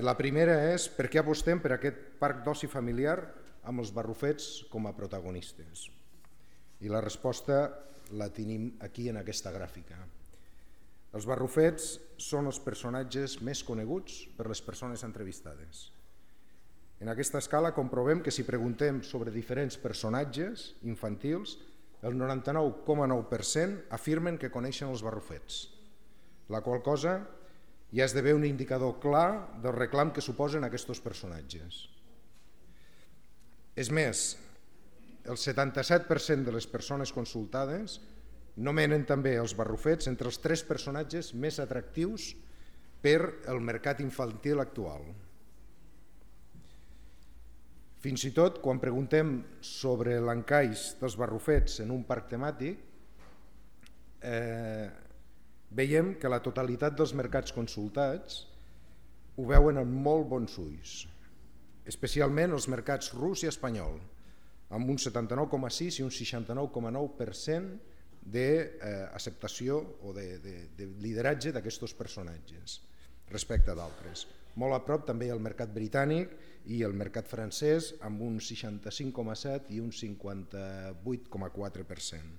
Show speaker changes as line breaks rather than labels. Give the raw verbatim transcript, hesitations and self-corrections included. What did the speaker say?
La primera és per què apostem per aquest parc d'oci familiar amb els barrufets com a protagonistes. I la resposta la tenim aquí en aquesta gràfica. Els barrufets són els personatges més coneguts per les persones entrevistades. En aquesta escala comprovem que si preguntem sobre diferents personatges infantils, el noranta-nou coma nou per cent afirmen que coneixen els barrufets, la qual cosa ja esdevé un indicador clar del reclam que suposen aquests personatges. És més, el setanta-set per cent de les persones consultades nomenen també els barrufets entre els tres personatges més atractius per al mercat infantil actual. Fins i tot, quan preguntem sobre l'encaix dels barrufets en un parc temàtic, eh, veiem que la totalitat dels mercats consultats ho veuen amb molt bons ulls, especialment els mercats rus i espanyol, amb un setanta-nou coma sis i un seixanta-nou coma nou per cent d'acceptació o de, de, de lideratge d'aquests personatges respecte d'altres. Molt a prop també el mercat britànic i el mercat francès amb un seixanta-cinc coma set i un cinquanta-vuit coma quatre per cent.